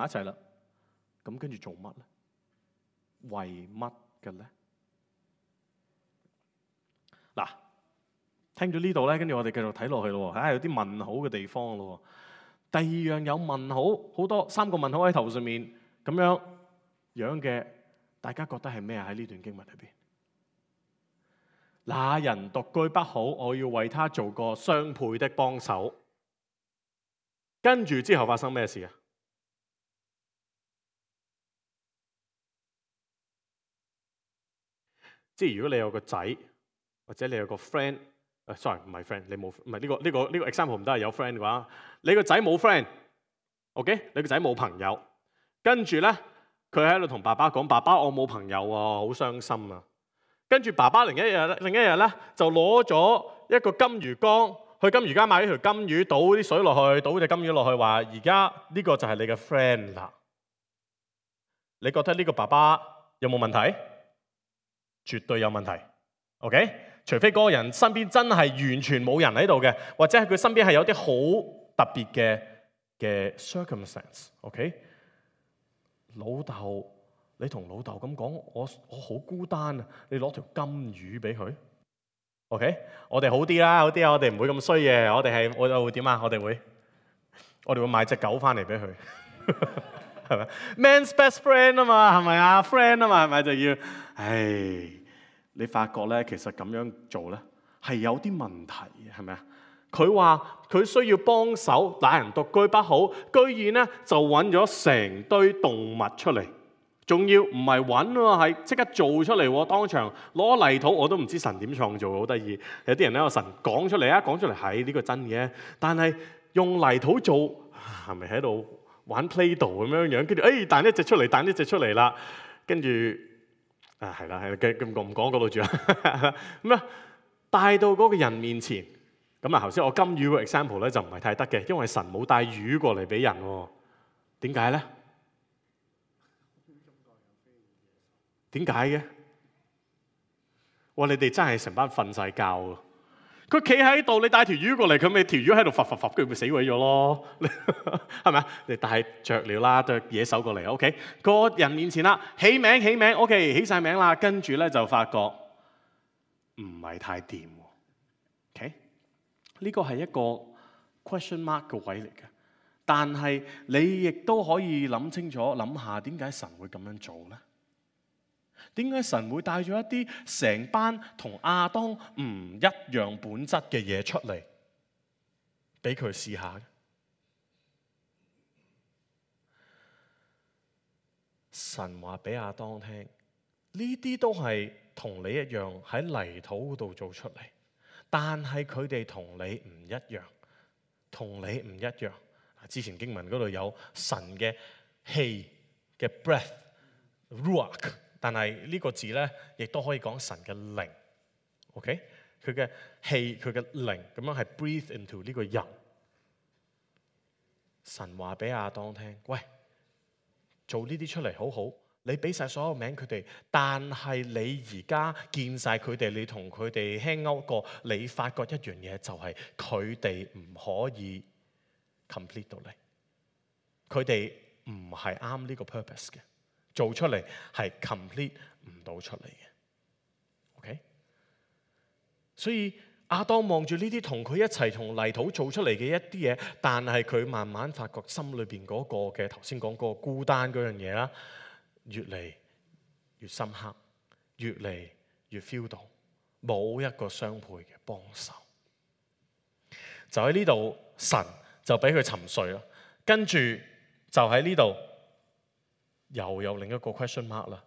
埋一齊啦。咁跟住做乜咧？為乜嘅咧？嗱，聽咗呢度咧，跟住我哋繼續睇落去咯。有啲問號嘅地方咯。第二樣有問號，好多3個問號喺頭上面咁樣嘅，大家覺得係咩啊？喺呢段經文裏邊，那人獨居不好，我要為他做個相配的幫手。跟住之後發生咩事啊？即係如果你有個仔，或者你有個 friend，sorry 唔係 friend，你冇唔係呢個 example 唔得係有 friend 嘅話，你個仔冇 friend，OK？你個仔冇朋友，跟住咧佢喺度同爸爸講：爸爸，我冇朋友啊，好傷心啊！跟住爸爸另一日咧就攞咗一個金魚缸，去金魚缸買咗條金魚，倒啲水落去，倒隻金魚落去，話而家呢個就係你嘅 friend 啦。你覺得呢個爸爸有冇問題？絕對有問題 ，OK？ 除非嗰個人身邊真係完全冇人喺度嘅，或者係佢身邊係有啲好特別嘅 circumstance，OK？ 老豆，你同老豆咁講，我好孤單啊！你攞條金魚俾佢 ，OK？ 我哋好啲啦，我哋唔會咁衰嘅，我哋會點啊？我哋會買隻狗翻嚟俾佢。係咪 ？Man's best friend 啊嘛，係咪啊 ？friend 啊嘛，係咪就要？你發覺咧，其實咁樣做咧係有啲問題嘅，係咪啊？佢話佢需要幫手，那人獨居不好，居然咧就揾咗成堆動物出嚟，仲要唔係揾喎，係即刻做出嚟喎，當場攞泥土，我都唔知神點創造，好得意。有啲人咧，神講出嚟啊，講出嚟係呢個真嘅，但係用泥土做係咪喺度玩 Play-Doh 咁樣？跟住彈一隻出嚟，彈一隻出嚟啦，跟住係啦，唔講嗰度住啦。咁啊，帶到嗰個人面前。咁啊，頭先我金魚個 example 咧就唔係太得嘅，因為神冇帶魚過嚟俾人喎。點解咧？點解嘅？哇！你哋真係成班瞓晒覺喎！佢企喺度，你帶條魚過嚟，佢咪條魚喺度浮，跟住咪死毀咗咯？係咪啊？你帶雀鳥啦，對野獸過嚟 ，OK？ 個人面前啦，起名 ，OK， 起晒名啦，跟住咧就發覺唔係太掂喎 ，OK？ 呢個係一個 question mark 嘅位嚟嘅，但係你亦都可以諗清楚，諗下點解神會咁樣做咧？點解神會帶咗一啲成班同亞當唔一樣本質嘅嘢出嚟，俾佢試下？神話俾亞當聽，呢啲都係同你一樣喺泥土嗰度做出嚟。但係佢哋同你唔一樣，同你唔一樣。之前經文嗰度有神嘅氣嘅 breath，ruach， 但係呢個字咧，亦都可以講神嘅靈。OK， 佢嘅氣，佢嘅靈，咁樣係 breathe into 呢個人。神話俾亞當聽，喂，做呢啲出嚟好好。你俾晒所有名佢哋，但係你而家見晒佢哋，你同佢哋 hang out過，你發覺一樣嘢就係佢哋唔可以 complete 到你，佢哋唔係啱呢個 purpose 嘅，做出嚟係 complete 唔到出嚟嘅。OK， 所以亞當望住呢啲同佢一齊同泥土做出嚟嘅一啲嘢，但係佢慢慢發覺心裏邊嗰個嘅頭先講嗰個孤單嗰樣嘢啦。越嚟越深刻，越嚟越 feel 到冇一個相配嘅幫手，就喺呢度神就俾佢沉睡啦。跟住就喺呢度又有另一個 question mark 啦。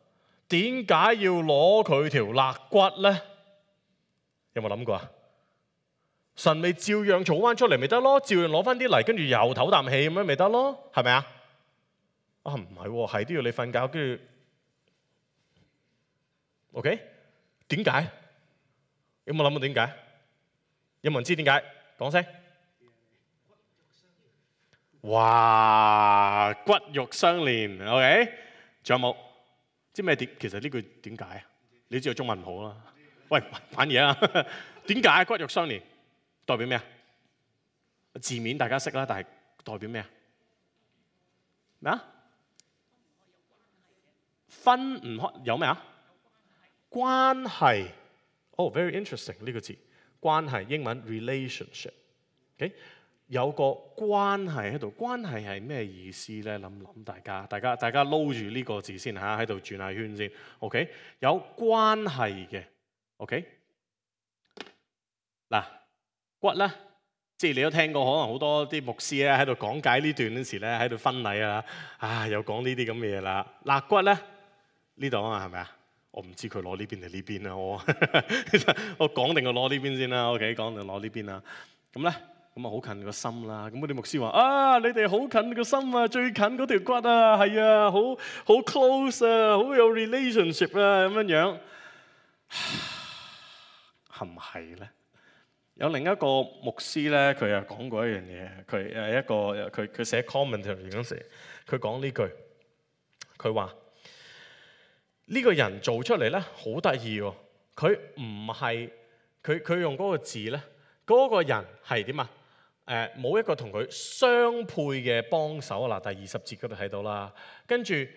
點解要攞佢條肋骨咧？有冇諗過啊？神咪照樣做翻出嚟咪得咯，照樣攞翻啲泥，跟住又唞啖氣咁樣咪得咯，係咪啊？啊，唔係喎，係都要你瞓覺，跟住 OK？ 點解？有冇諗過點解？有冇人知點解？講聲。哇！骨肉相連 ，OK？ 仲有冇？知咩點？其實呢句點解啊？你知道中文唔好啦。喂，反嘢啊！點解骨肉相連？代表咩啊？字面大家識啦，但係代表咩啊？咩啊？分唔開有咩啊？關係。very interesting 呢個字，關係英文 relationship。OK， 有個關係喺度，關係係咩意思咧？諗大家撈住呢個字先嚇，喺度轉下圈先。OK， 有關係嘅。OK， 嗱骨咧，即係你都聽過，可能好多啲牧師咧喺度講解呢段嗰時咧，喺度婚禮啊，又講呢啲咁嘅嘢啦。肋骨咧呢度啊嘛，係咪啊？我唔知佢攞呢邊定呢邊啦，我講定我攞呢邊先啦。OK， 講定攞呢邊啦。咁咧，咁啊好近個心啦。咁嗰啲牧師話啊，你哋好近個心啊，最近嗰條骨啊，係啊，好 close 啊，好有 relationship 啊，咁樣樣，係唔係咧？有另一個牧師咧，佢又講過一樣嘢。佢寫 commentary 嗰時，佢講呢句，佢話。呢個人做出嚟咧好得意喎，佢唔係佢用嗰個字咧，嗰個人係點啊？冇一個同佢相配嘅幫手啦。第20節嗰度睇到啦，跟住你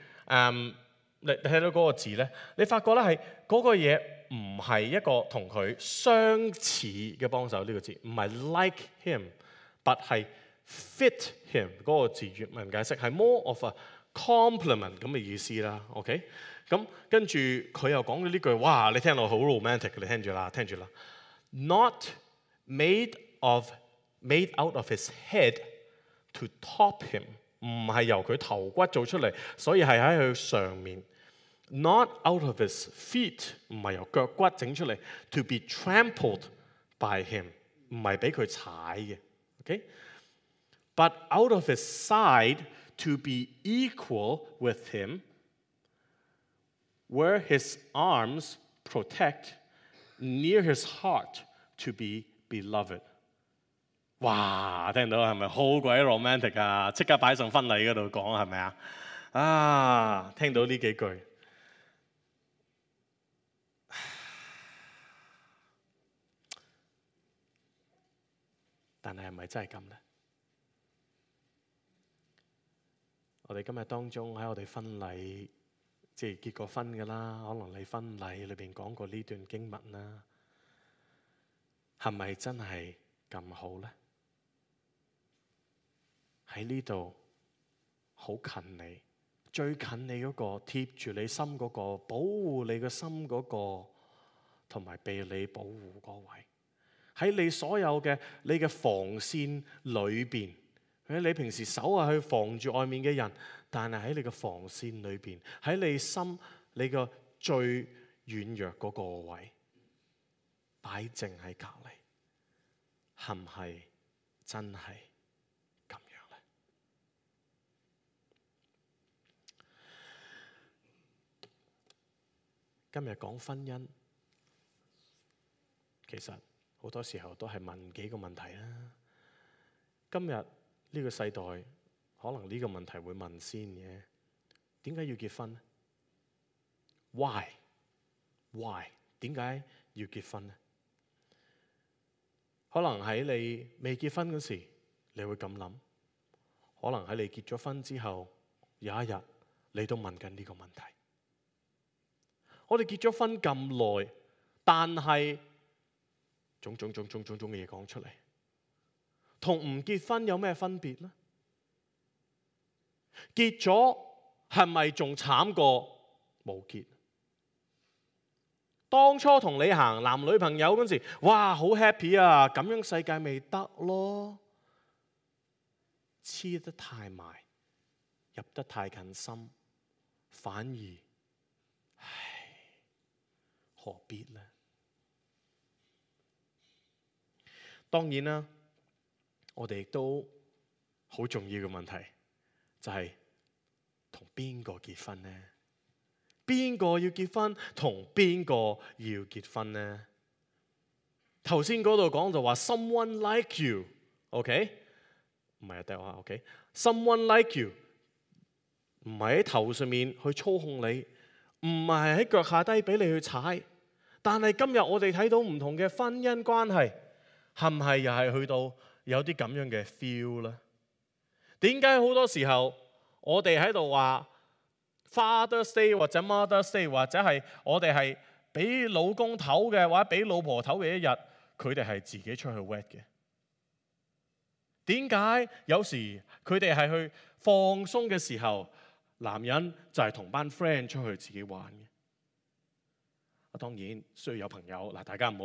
睇到嗰個字咧，你發覺咧係嗰個嘢唔係一個同佢相似嘅幫手，呢個字唔係 like him，but 係 fit him 嗰個字原文解釋係 more of a compliment 咁嘅意思啦。OK。咁跟住佢又講咗呢句，哇！你聽落好 romantic 嘅，你聽住啦。Not made out of his head to top him， 唔係由佢頭骨做出嚟，所以係喺佢上面。Not out of his feet， 唔係由腳骨整出嚟 to be trampled by him， 唔係俾佢踩嘅。OK，but out of his side to be equal with him。Where his arms protect, near his heart to be beloved。哇！聽到係咪好鬼 romantic 啊？即刻擺上婚禮嗰度講係咪啊？啊！聽到呢幾句，但係咪真係咁咧？我哋今日當中喺我哋婚禮。即係結過婚㗎啦，可能你婚禮裏邊講過呢段經文啦，係咪真係咁好咧？喺呢度好近你，最近你嗰個，貼住你心嗰個，保護你個心嗰個，同埋被你保護嗰位，喺你所有嘅你嘅防線裏邊。你平時手係去防住外面嘅人，但係喺你嘅防線裏邊，喺你心你個最軟弱嗰個位擺正喺隔離，係唔係真係咁樣咧？今日講婚姻，其實好多時候都係問幾個問題啦。今日呢個世代可能呢個問題會問先嘅，點解要結婚呢？ Why？ 點解要結婚呢？可能喺你未結婚嗰時，你會咁諗；可能喺你結咗婚之後，有一日你都問緊呢個問題。我哋結咗婚咁耐，但係種種嘅嘢講出嚟。同唔結婚有咩分別呢？結咗係咪仲慘過冇結？當初同你行男女朋友嗰時，哇，好 happy 啊！咁樣世界未得咯，黐得太埋，入得太近心，反而，何必呢？當然啦。我哋亦都好重要嘅問題，就係同邊個結婚呢？邊個要結婚？同邊個要結婚呢？頭先嗰度講就話 someone like you，OK？ 唔係啊，第話 OK？Someone like you， 唔係喺頭上面去操控你，唔係喺腳下低俾你去踩。但係今日我哋睇到唔同嘅婚姻關係，係唔係又係去到有啲咁樣嘅 feel 咧？點解好多時候我哋喺度話 Father's Day 或者 Mother's Day 或者係我哋係俾老公唞嘅或者俾老婆唞嘅一日，佢哋係自己出去 wed 嘅。點解有時佢哋係去放鬆嘅時候，男人就係同班 friend 出去自己玩嘅？當然需要有朋友嗱，大家唔好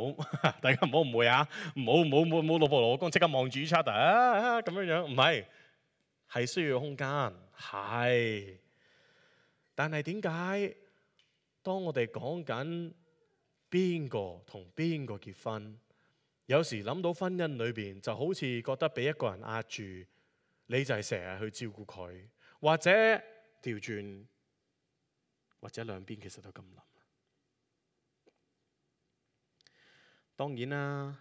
誤會啊！唔好老婆老公即刻望住 each other 啊咁樣，唔係，係需要空間係。但係點解當我哋講緊邊個同邊個結婚，有時諗到婚姻裏邊就好似覺得俾一個人壓住，你就係成日去照顧佢，或者調轉，或者兩邊其實都咁諗。當然啦，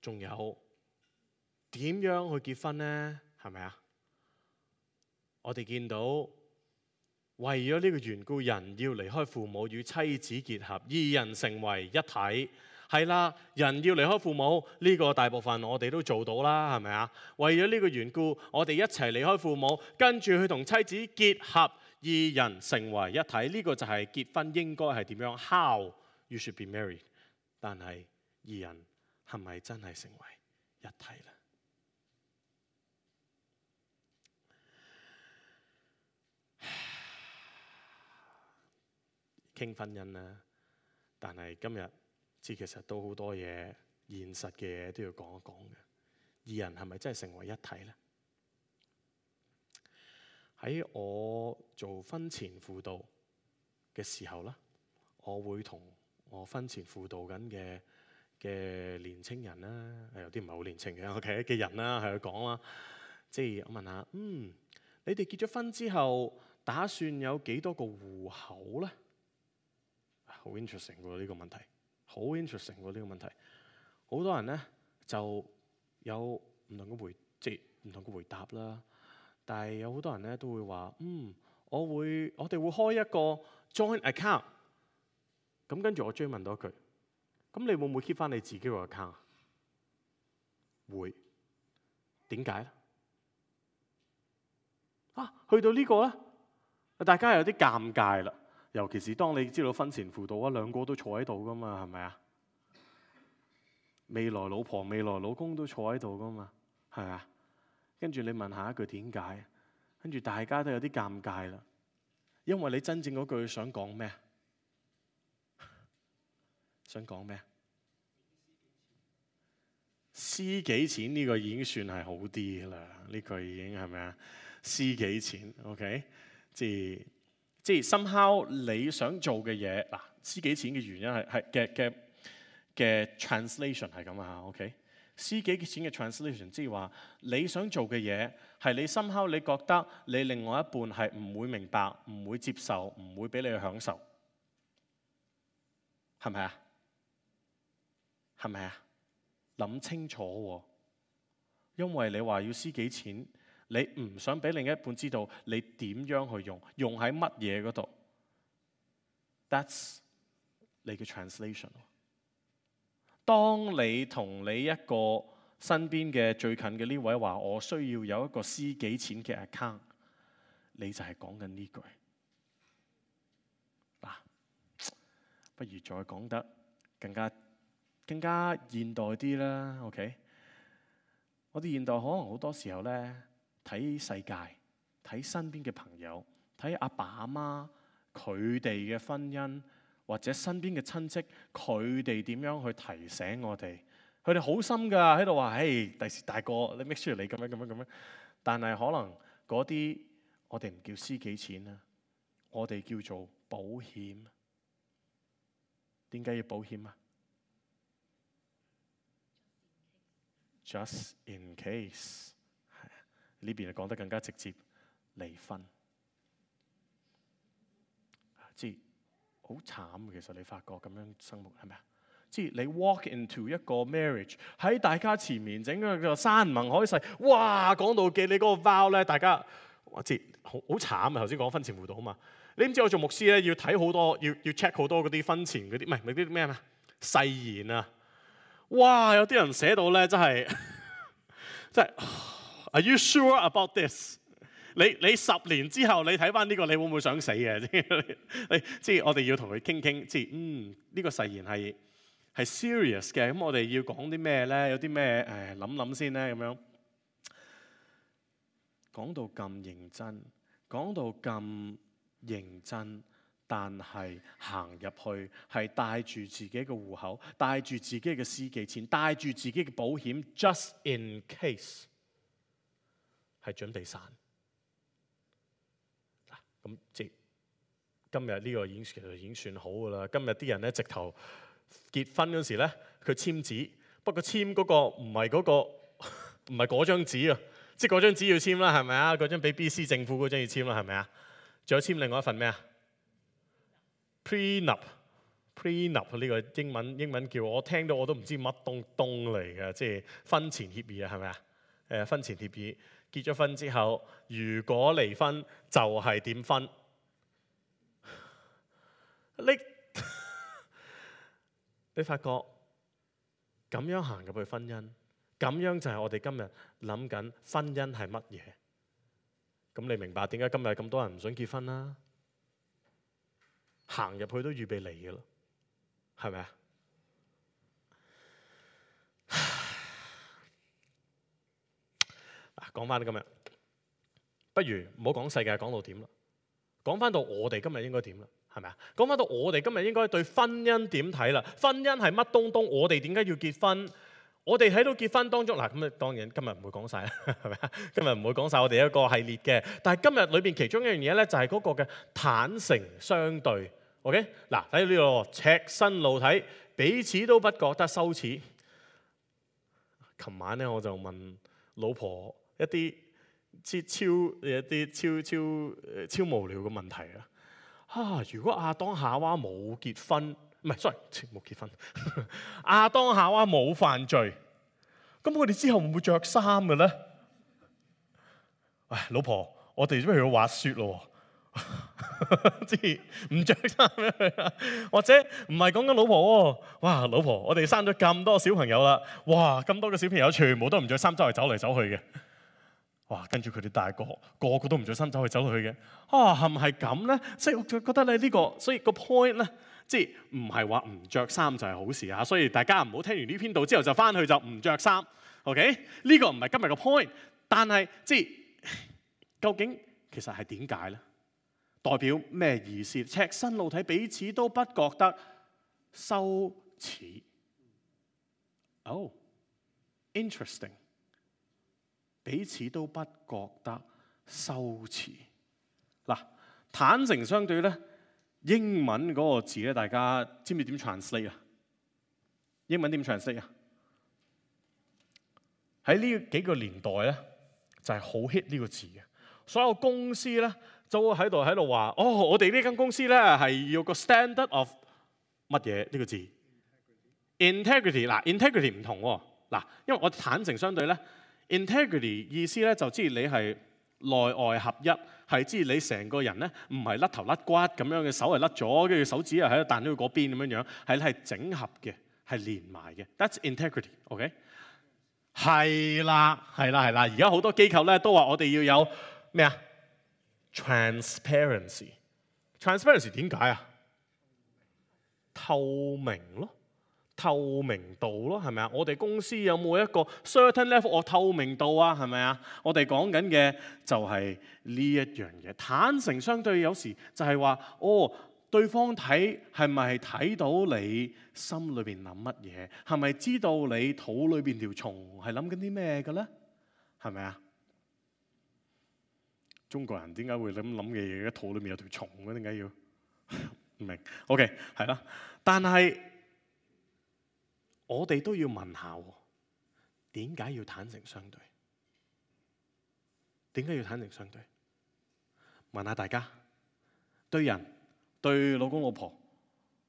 仲有點樣去結婚呢？係咪啊？我哋見到為咗呢個緣故，人要離開父母與妻子結合，二人成為一體。係啦，人要離開父母，呢個大部分我哋都做到啦，係咪啊？為咗呢個緣故，我哋一齊離開父母，跟住去同妻子結合，二人成為一體。呢個就係結婚應該係點樣 ？How you should be married。但係二人係咪真係成為一體呢？傾婚姻啦，但係今日其實都好多嘢，現實嘅嘢都要講一講嘅。二人係咪真係成為一體呢？喺我做婚前輔導嘅時候啦，我會同我婚前輔導緊嘅年青人啦，有啲唔係好年青嘅 OK 嘅人啦，係去講啦。即係我問下，你哋結咗婚之後，打算有幾多個戶口呢？好 interesting 喎呢個問題，好 interesting 喎呢個問題。好多人呢就有唔同嘅回答啦。但係有好多人呢都會話，我哋會開一個 joint account。咁跟住我追問多一句，咁你會唔會 keep 翻你自己個 account？ 會。點解呢？去到呢個呢，大家有啲尷尬啦。尤其是當你知道婚前輔導兩個都坐喺度噶嘛，係咪啊？未來老婆、未來老公都坐喺度噶嘛，係咪啊？跟住你問下一句點解？跟住大家都有啲尷尬啦，因為你真正嗰句想講咩？想講咩？私己錢呢個已經算係好啲啦，呢句已經係咪啊？私己錢 ，OK， 即係 somehow 你想做嘅嘢嗱，私己錢嘅原因係嘅 translation 係咁啊 ，OK， 私己錢嘅 translation 即係話你想做嘅嘢係你 somehow 你覺得你另外一半係唔會明白、唔會接受、唔會俾你去享受，係咪啊？係咪啊？諗清楚喎，因為你話要私己錢，你唔想俾另一半知道你點樣去用喺乜嘢嗰度。That's 你嘅 translation。當你同你一個身邊嘅最近嘅呢位話，我需要有一個私己錢嘅 account， 你就係講緊呢句。嗱，不如再講得更加現代啲啦 ，OK？ 我哋現代可能好多時候咧睇世界，睇身邊嘅朋友，睇阿爸阿媽佢哋嘅婚姻，或者身邊嘅親戚佢哋點樣去提醒我哋，佢哋好心㗎喺度話，第時大個你 make sure 你咁樣，但係可能嗰啲我哋唔叫私己錢啦，我哋叫做保險。點解要保險啊？Just in case， 呢邊講得更加直接，離婚，即係好慘。其實你發覺咁樣生活係咪啊？即係你 walk into 一個 marriage 喺大家前面整個山盟海誓，哇！講到記你嗰個 vow 咧，大家即係好慘啊！頭先講婚前輔導啊嘛，你唔知我做牧師咧要睇好多，要 check 好多嗰啲婚前嗰啲，唔係嗰啲咩誓言啊！哇！有啲人寫到咧，真係，Are you sure about this？你10年之後你睇翻呢個，你會唔會想死嘅？即係我哋要同佢傾傾，即係呢個誓言係 serious 嘅。咁我哋要講啲咩咧？有啲咩諗先咧？咁樣講到咁認真，講到咁認真。但係行入去係帶住自己嘅戶口，帶住自己嘅司機錢，帶住自己嘅保險 ，just in case 係準備散。咁即係今日呢個其實已經算好㗎啦。今日啲人咧直頭結婚嗰時咧，佢簽紙，不過簽嗰個唔係嗰張紙啊，即係嗰張紙要簽啦，係咪啊？嗰張俾 BC 政府嗰張要簽啦，係咪啊？仲有簽另外一份咩啊？Prenup 呢個英文叫我聽到我都唔知乜東嚟嘅，即係婚前協議啊，係咪啊？婚前協議結咗婚之後，如果離婚就係點分？你發覺咁樣行入去婚姻，咁樣就係我哋今日諗緊婚姻係乜嘢？咁你明白點解今日咁多人唔想結婚啦？行入去都預備嚟嘅咯，係咪啊？講翻今日，不如唔好講世界講到點啦，講翻到我哋今日應該點啦，係咪啊？講翻到我哋今日應該對婚姻點睇啦？婚姻係乜東東？我哋點解要結婚？我哋喺度結婚當中嗱，咁當然今日唔會講晒啦，係咪啊？今日唔會講晒我哋一個系列嘅，但係今日裏邊其中一樣嘢咧，就係嗰個嘅坦誠相對。OK， 嗱，睇到呢個赤身露體，彼此都不覺得羞恥。琴晚咧我就問老婆一啲超無聊嘅問題啊！如果亞當夏娃冇結婚，唔係 sorry 冇結婚，亞當夏娃冇犯罪，咁佢哋之後會唔會着衫嘅咧？唉，老婆，我哋準備去滑雪咯。即係唔着衫咩？或者唔係講緊老婆喎？哇，老婆，我哋生咗咁多小朋友啦，哇，咁多嘅小朋友全部都唔着衫周圍走嚟走去嘅，哇，跟住佢哋大個個都唔着衫走嚟走去嘅，係唔係咁咧？所以我就覺得咧呢個，所以個 point 咧，即係唔係話唔着衫就係好事啊！所以大家唔好聽完呢篇道之後就翻去就唔着衫 ，OK？呢個唔係今日個 point， 但係即係究竟其實係點解咧？代表咩意思？赤身露體，彼此都不覺得羞恥。Oh, interesting。彼此都不覺得羞恥。嗱，坦誠相對咧，英文嗰個字咧，大家知唔知點 translate 啊？英文點 translate 啊？喺呢幾個年代咧，就係好 hit 呢個字嘅。所有公司咧，就喺度話，我哋呢間公司咧係要個 standard of 乜嘢呢個字 ？integrity 嗱 ，integrity 唔同喎嗱，因為我坦誠相對咧 ，integrity 意思咧就知你係內外合一，係知你成個人咧唔係甩頭甩骨咁樣嘅，手係甩咗，跟住手指又喺度彈咗去嗰邊咁樣，係整合嘅，係連埋嘅。That's integrity，OK？係啦，而家好多機構咧都話我哋要有咩啊？Transparency 點解啊？透明咯，透明度咯，係咪啊？我哋公司有冇一個 certain level of 透明度啊？係咪啊？我哋講緊嘅就係呢一樣嘢。坦誠相對有時就係話，對方睇係咪睇到你心裏邊諗乜嘢？係咪知道你肚裏邊條蟲係諗緊啲咩嘅咧？係咪啊？中國人點解會諗嘅嘢？肚裏面有條蟲嘅，點解要？唔明 ？OK， 係啦。但係我哋都要問下，點解要坦誠相對？點解要坦誠相對？問下大家，對人對老公老婆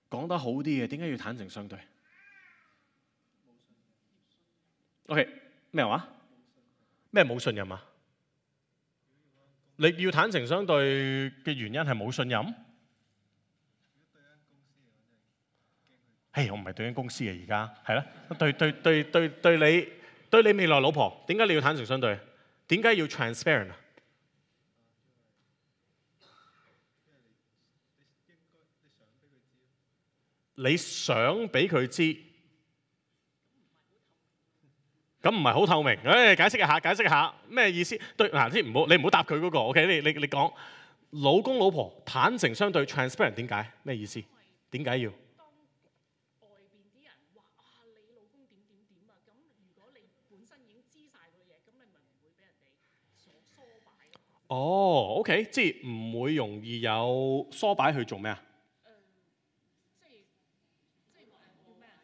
講得好啲嘅，點解要坦誠相對 ？OK， 咩話？咩冇信任啊？你要坦誠相對嘅原因係冇信任？我唔係對緊公司嘅，而家係啦，對你未來老婆，點解你要坦誠相對？點解要 transparent 啊？你想俾佢知，咁唔係好透明。解釋一下咩意思？對嗱，你唔好答佢嗰個。OK， 你講老公老婆坦誠相對 transparent 點解？咩意思？點解要？當外邊啲人話你老公點啊，咁如果你本身已經知晒嗰嘢，咁你咪唔會俾人哋所梳擺咯。哦，OK， 即係唔會容易有梳擺去做咩啊？即係叫咩啊？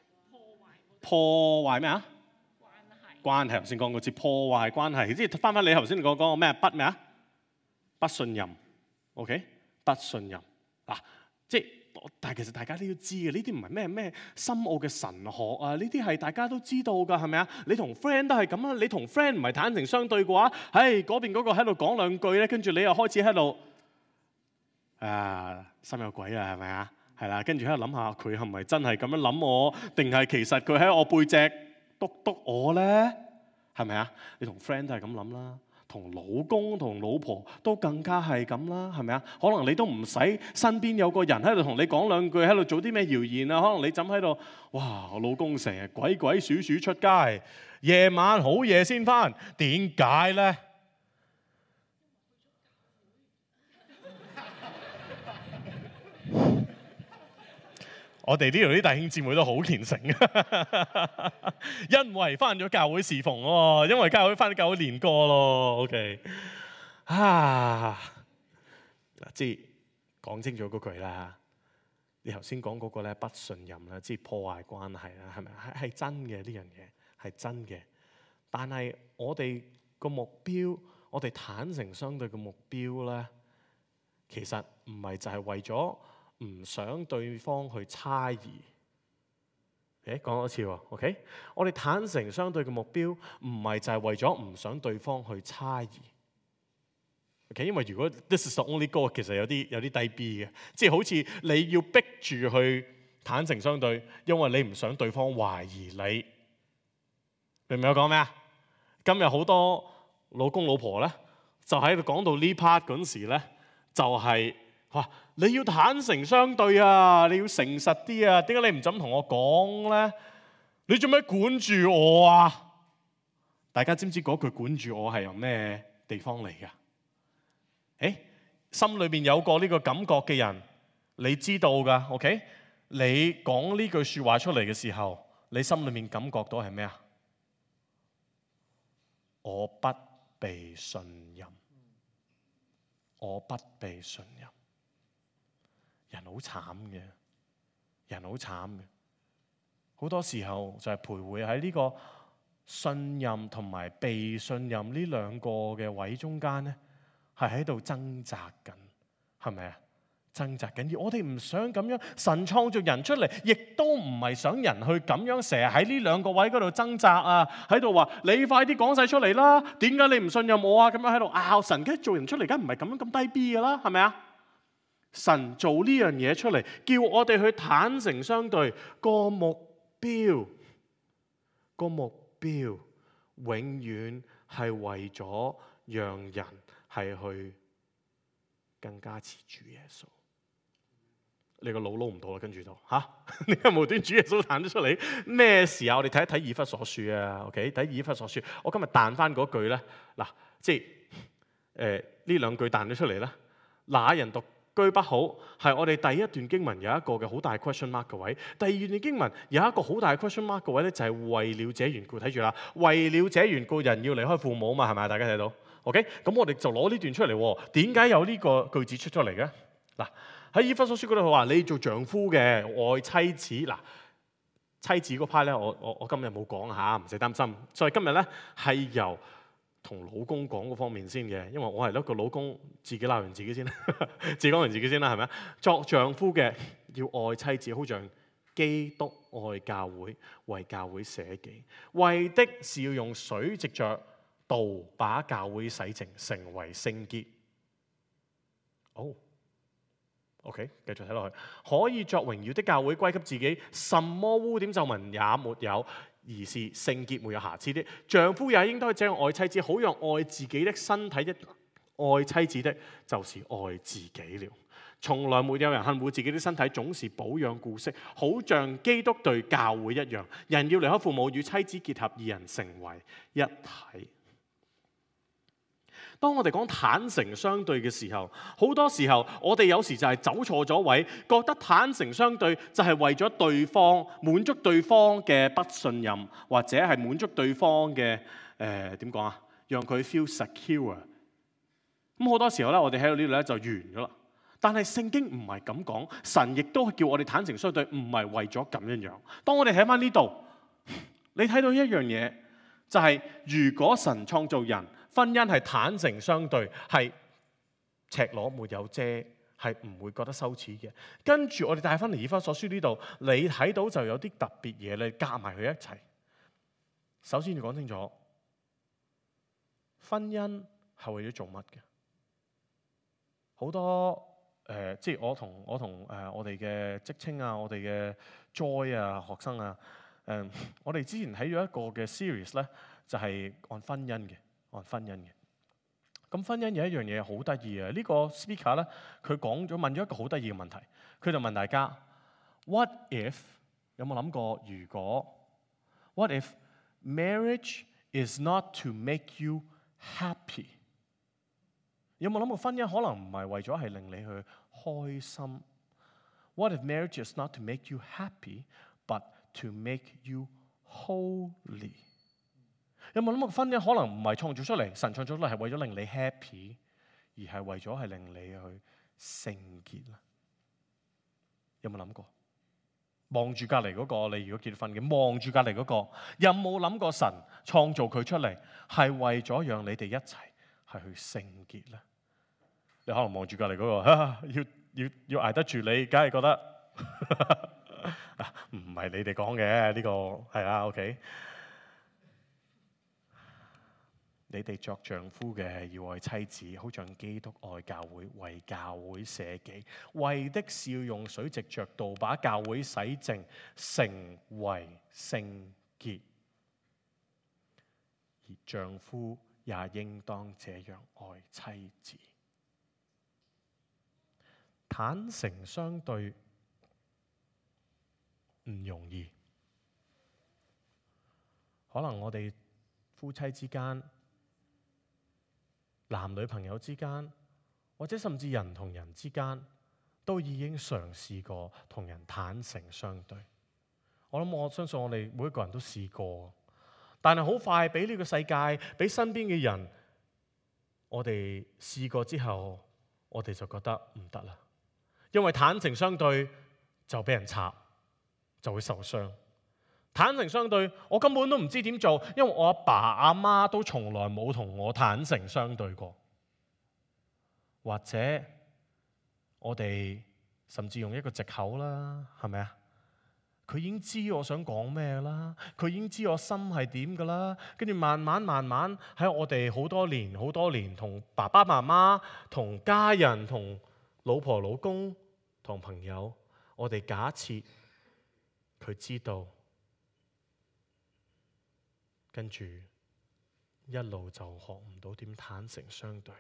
破壞咩啊？關係。頭先講嗰字破壞關係，即係翻你頭先講個咩不咩啊？不信任。OK， 不信任嗱，即係但係其實大家都要知嘅，呢啲唔係咩深奧嘅神學啊，呢啲係大家都知道㗎，係咪啊？你同 friend 都係咁啊，你同 friend 唔係坦誠相對嘅話，嗰邊嗰個喺度講兩句咧，跟住你又開始喺度心有鬼啦，係咪啊？係啦，跟住喺度諗下佢係咪真係咁樣諗我，定係其實佢喺我背脊督我咧？係咪啊？你同 friend 都係咁諗啦。同老公同老婆都更加係咁啦，係咪啊？可能你都唔使身邊有個人喺度同你講兩句，喺度做啲咩謠言啊？可能你枕喺度，哇！我老公成日鬼祟祟出街，夜晚好夜先返，點解咧？我哋呢度啲弟兄姊妹都好虔誠，因為翻咗教會侍奉喎，因為翻咗教會練歌咯。OK， 即係講清楚嗰句啦。你頭先講嗰個咧不信任啦，即係破壞關係啦，係咪？係真嘅，呢樣嘢係真嘅。但係我哋個目標，我哋坦誠相對嘅目標咧，其實唔係就係為咗唔想對方去猜疑。講多次喎 ，OK？ 我哋坦誠相對嘅目標唔係就係為咗唔想對方去猜疑。OK？ 因為如果 this is the only goal， 其實有啲低 B 嘅，即係好似你要逼住去坦誠相對，因為你唔想對方懷疑你。明唔明我講咩啊？今日好多老公老婆咧，就喺度講到呢 part 嗰陣時咧，就係話你要坦誠相對啊，你要誠實啲啊，點解你唔咁同我講咧？你做咩管住我啊？大家知唔知嗰句管住我係由咩地方嚟㗎？心裏邊有過呢個感覺嘅人，你知道㗎 ，OK？ 你講呢句説話出嚟嘅時候，你心裏面感覺到係咩啊？我不被信任，我不被信任。人好慘嘅，人好慘嘅，好多時候就係徘徊喺呢個信任同埋被信任呢兩個嘅位中間咧，係喺度掙扎緊，係咪啊？掙扎緊，而我哋唔想咁樣。神創造人出嚟，亦都唔係想人去咁樣成日喺呢兩個位嗰度掙扎啊，喺度話你快啲講晒出嚟啦，點解你唔信任我啊？咁樣喺度拗。神梗係做人出嚟，梗唔係咁樣咁低 B 噶啦，係咪啊？神做呢樣嘢出嚟，叫我哋去坦誠相對，個目標永遠係為咗讓人係去更加似主耶穌。你個腦撈唔到啦，跟住就你有無端主耶穌彈咗出嚟？咩事啊？我哋睇一睇以弗所書啊 ，OK？ 睇以弗所書，我今日彈翻嗰句咧，嗱，即係呢兩句彈咗出嚟咧，那人獨居不好，係我哋第一段經文有一個嘅好大 question mark 嘅位。第二段經文有一個好大 question mark 嘅位咧，就係為了這緣故，睇住啦，為了這緣故，人要離開父母嘛，係咪？大家睇到 ？OK？ 咁我哋就攞呢段出嚟，點解有呢個句子出咗嚟嘅？嗱。喺以弗所書嗰度佢話你做丈夫嘅愛妻子，嗱，妻子嗰 part 咧，我今日冇講下，唔使擔心。所以今日咧係由同老公講嗰方面先嘅，因為我係一個老公，自己鬧完自己先，自己講完自己先啦，係咪啊？作丈夫嘅要愛妻子，好像基督愛教會，為教會捨己，為的是要用水藉着道把教會洗淨，成為聖潔。OK， 繼續睇落去，可以作榮耀的教會歸給自己，什麼污點皺紋也沒有，而是聖潔沒有瑕疵的。丈夫也應當這樣愛妻子，好讓愛自己的身體的愛妻子的，就是愛自己了。從來沒有人恨惡自己的身體，總是保養顧惜，好像基督對教會一樣。人要離開父母，與妻子結合，二人成為一體。當我哋講坦誠相對嘅時候，好多時候我哋有時就係走錯咗位，覺得坦誠相對就係為咗對方滿足對方嘅不信任，或者係滿足對方嘅點講啊，讓佢 feel secure。咁好多時候咧，我哋喺度呢度咧就完咗啦。但係聖經唔係咁講，神亦都叫我哋坦誠相對，唔係為咗咁樣樣。當我哋睇翻呢度，你睇到一樣嘢，就係如果神創造人，婚姻係坦誠相對，係赤裸沒有遮，係唔會覺得羞恥嘅。跟住我哋帶翻嚟以弗所書呢度，你睇到就有啲特別嘢，你夾埋佢一齊。首先要講清楚，婚姻係為咗做乜嘅？好多即係我同我哋嘅職稱啊，我哋嘅 Joy 啊，學生啊，我哋之前睇咗一個嘅 series 咧，就係按婚姻嘅。咁婚姻有一樣嘢好得意嘅，呢個 speaker 咧，佢問咗一個好得意嘅問題，佢就問大家 ：What if 有冇諗過如果 ？What if marriage is not to make you happy？ 有冇諗過婚姻可能唔係為咗係令你去開心 ？What if marriage is not to make you happy, but to make you holy？ 有冇諗過婚姻可能唔係創造出嚟，神創造出嚟係為咗令你 happy， 而係為咗係令你去聖潔啦？有冇諗過？望住隔離嗰個，你如果結婚嘅，望住隔離嗰個，有冇諗過神創造佢出嚟係為咗讓你哋一齊係去聖潔咧？你可能望住隔離嗰個，要捱得住你，梗係覺得唔係你哋講嘅呢個係啊 ，OK。你哋作丈夫嘅要愛妻子，好像基督愛教會，為教會捨己，為的是要用水藉着道把教會洗淨，成為聖潔。而丈夫也應當這樣愛妻子。坦誠相對唔容易，可能我哋夫妻之間、男女朋友之間，或者甚至人同人之間，都已經嘗試過同人坦誠相對。我相信我哋每一個人都試過，但係好快俾呢個世界、俾身邊嘅人，我哋試過之後，我哋就覺得唔得啦。因為坦誠相對就俾人插，就會受傷。坦誠相對，我根本都唔知點做，因為我阿爸阿媽都從來冇同我坦誠相對過。或者我哋甚至用一個藉口啦，係咪啊？佢已經知我想講咩啦，佢已經知我心係點噶啦，跟住慢慢喺我哋好多年同爸爸媽媽、同家人、同老婆老公、同朋友，我哋假設佢知道。跟住一路就學唔到點坦誠相對，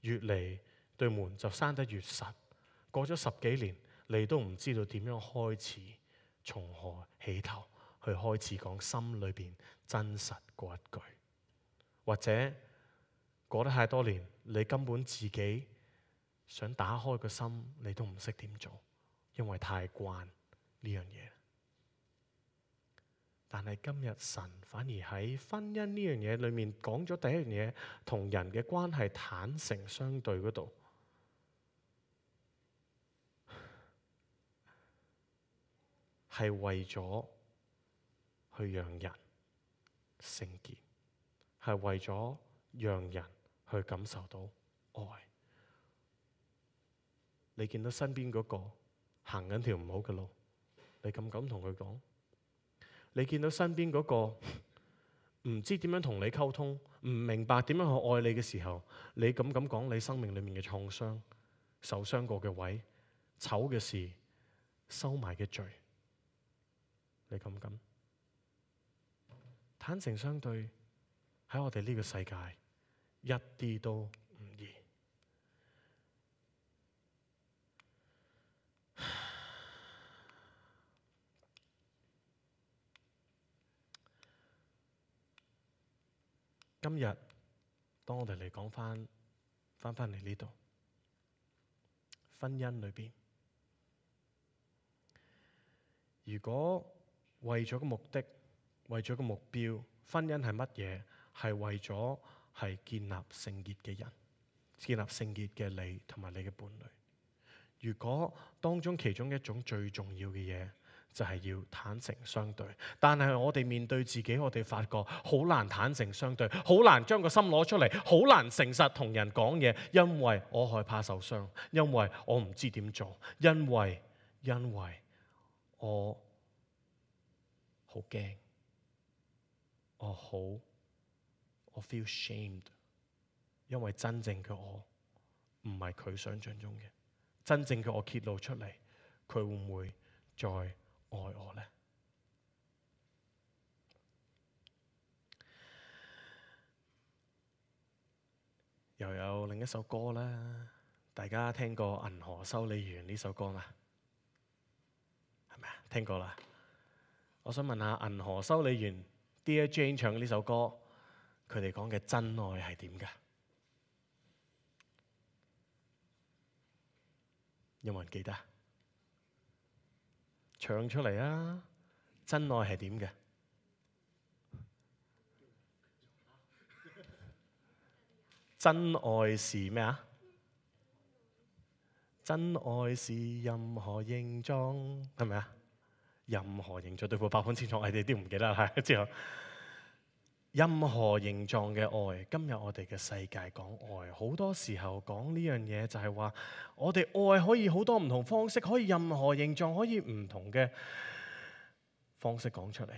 越嚟對門就閂得越實。過咗10幾年，你都唔知道點樣開始，從何起頭去開始講心裏邊真實嗰一句。或者過得太多年，你根本自己想打開個心，你都唔識點做，因為太慣呢樣嘢。但係今日神反而喺婚姻呢樣嘢裏面講咗第一樣嘢，同人嘅關係坦誠相對嗰度，係為咗去讓人聖潔，係為咗讓人去感受到愛。你見到身邊嗰個行緊條唔好嘅路，你敢同佢講？你見到身邊嗰個唔知點樣同你溝通，唔明白點樣去愛你嘅時候，你敢講你生命裏面嘅創傷、受傷過嘅位、醜嘅事、收埋嘅罪，你敢？坦誠相對喺我哋呢個世界一啲都唔易。今日當我哋嚟講翻嚟呢度，婚姻裏邊，如果為咗個目的，為咗個目標，婚姻係乜嘢？係為咗係建立聖潔嘅人，建立聖潔嘅你同埋你嘅伴侶。如果當中其中一種最重要嘅嘢，就係要坦誠相對，但係我哋面對自己，我哋發覺好難坦誠相對，好難將個心攞出嚟，好難誠實同人講嘢，因為我害怕受傷，因為我唔知點做，因為我好驚，我 feel shamed， 因為真正嘅我唔係佢想象中嘅，真正嘅我揭露出嚟，佢會唔會再愛我呢？又有另一首歌啦，大家聽過《銀河修理員》呢首歌嘛？係咪啊？聽過啦。我想問下《銀河修理員》Dear Jane 唱呢首歌，佢哋講嘅真愛係點㗎？有冇人記得？唱出嚟啊！真愛係點嘅？真愛是咩啊？真愛是任何形狀，係咪啊？任何形狀，對付8本清楚，我哋都唔記得啦。之後，任何形狀嘅愛，今日我哋嘅世界講愛，好多時候講呢樣嘢就係話，我哋愛可以好多唔同方式，可以任何形狀，可以唔同嘅方式講出嚟。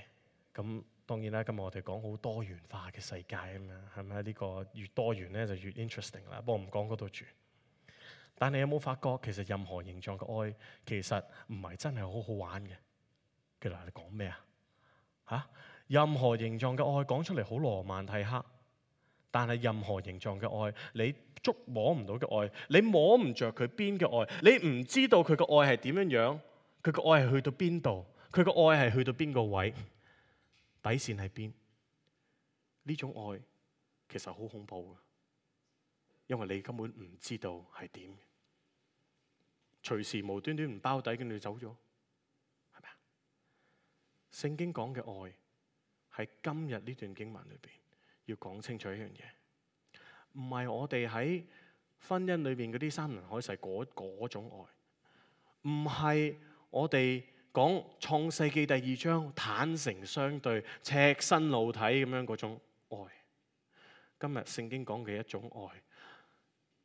咁當然啦，今日我哋講好多元化嘅世界啊嘛，係咪？呢個越多元咧就越 interesting 啦。不過唔講嗰度住。但係有冇發覺，其實任何形狀嘅愛，其實唔係真係好好玩嘅。其實你講咩啊？嚇！任何形狀嘅愛講出嚟好羅曼蒂克，但係任何形狀嘅愛，你捉摸唔到嘅愛，你摸唔着佢邊嘅愛，你唔知道佢嘅愛係點樣樣，佢嘅愛係去到邊度，佢嘅愛係去到邊個位，底線喺邊？呢種愛其實好恐怖嘅，因為你根本唔知道係點，隨時無端端唔包底跟住走咗，係咪啊？聖經講嘅愛喺今日呢段經文裏邊要講清楚一樣嘢，唔係我哋喺婚姻裏邊嗰啲山盟海誓嗰種愛，唔係我哋講創世記第2章坦誠相對、赤身露體咁樣嗰種愛。今日聖經講嘅一種愛，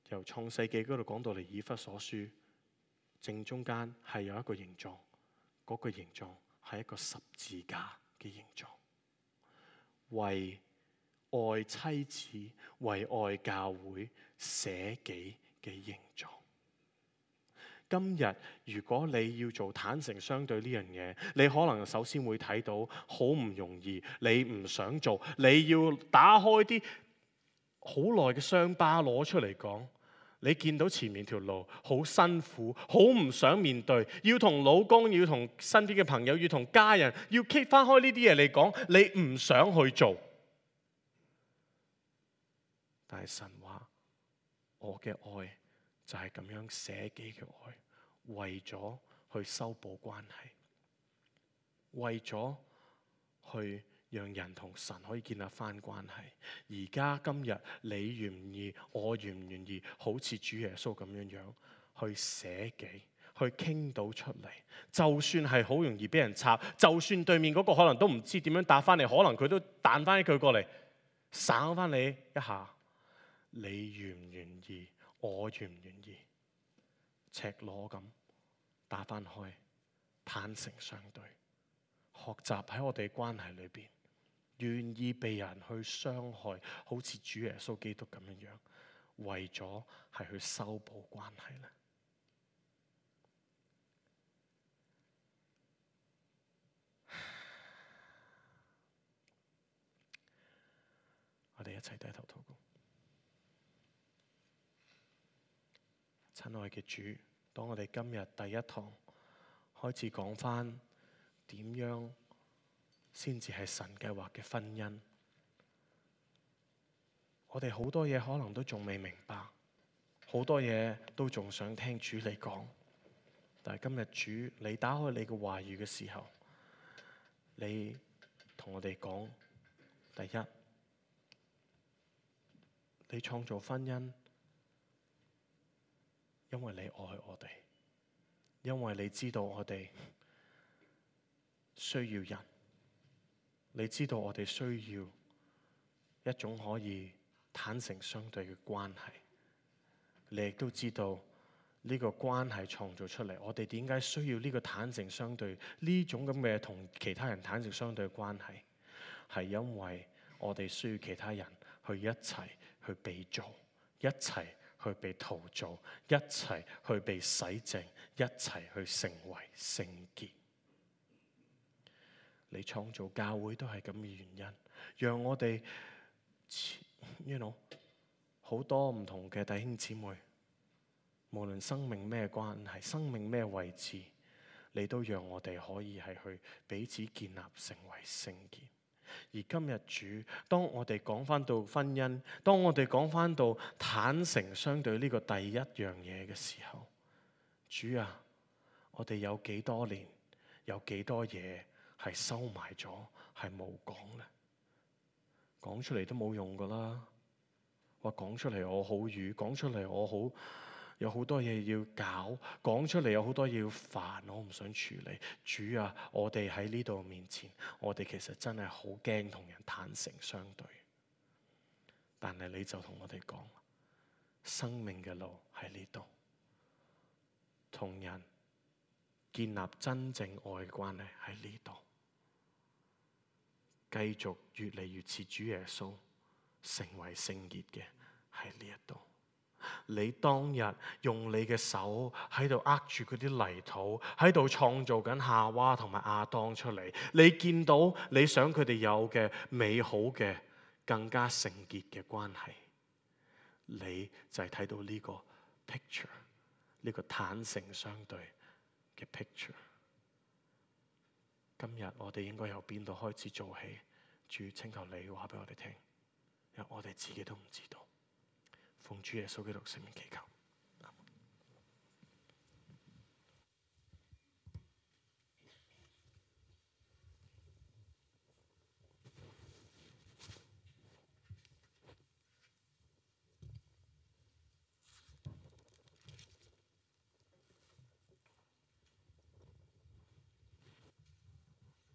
由創世記嗰度講到嚟以弗所書，正中間係有一個形狀，嗰個形狀係一個十字架嘅形狀，為愛妻子、為愛教會捨己嘅形狀。今日如果你要做坦誠相對呢樣嘢，你可能首先會睇到好唔容易，你唔想做，你要打開啲好耐嘅傷疤攞出嚟講。你見到前面條路好辛苦，好唔想面對，要同老公，要同身邊嘅朋友，要同家人，要 keep 翻開呢啲嘢嚟講，你唔想去做。但係神話，我嘅愛就係咁樣捨己嘅愛，為咗去修補關係，為咗去讓人同神可以建立翻關係。而家今日你願唔願意，我願唔願意，好似主耶穌咁樣樣去捨己，去傾到出嚟。就算係好容易俾人插，就算對面嗰個可能都唔知點樣答翻嚟，可能佢都彈翻一句過嚟，省翻你一下。你願唔願意？我願唔願意？赤裸咁打翻開，坦誠相對，學習喺我哋關係裏邊，願意被人去傷害，好似主耶穌基督咁樣樣，為咗係去修補關係咧。我哋一齊低頭禱告。親愛嘅主，當我哋今日第一堂開始講返點樣先至係神計劃嘅婚姻，我哋好多嘢可能都仲未明白，好多嘢都仲想聽主你講。但係今日主，你打開你嘅話語嘅時候，你同我哋講，第一，你創造婚姻，因為你愛我哋，因為你知道我哋需要人，你知道我哋需要一種可以坦誠相對嘅關係，你亦都知道呢個關係創造出嚟，我哋點解需要呢個坦誠相對呢種咁嘅同其他人坦誠相對嘅關係，係因為我哋需要其他人去一齊去被造，一齊去被陶造，一齊去被洗淨，一齊去成為聖潔。你創造教會都係咁嘅原因，讓我哋好多唔同嘅弟兄姊妹，無論生命咩關係，生命咩位置，你都讓我哋可以係去彼此建立成為聖潔。而今日主，當我哋講返到婚姻，當我哋講返到坦誠相對呢個第一樣嘢嘅時候，主啊，我哋有幾多年，有幾多嘢係收埋咗，係冇講咧？講出嚟都冇用噶啦！話講出嚟我好瘀，講出嚟我好有好多嘢要搞，講出嚟有好多嘢要煩，我唔想處理。主啊，我哋喺呢度面前，我哋其實真係好驚同人坦誠相對。但係你就同我哋講，生命嘅路喺呢度，同人建立真正愛嘅關係喺呢度，繼續越嚟越似主耶穌，成為聖潔嘅喺呢一度。你當日用你嘅手喺度握住嗰啲泥土，喺度創造緊夏娃同埋亞當出嚟。你見到你想佢哋有嘅美好嘅、更加聖潔嘅關係，你就係睇到呢個 picture， 呢個坦誠相對嘅 picture。今日我哋應該由邊度開始做起？主，請求你話俾我哋聽，因為我哋自己都唔知道。奉主耶穌基督聖名祈求。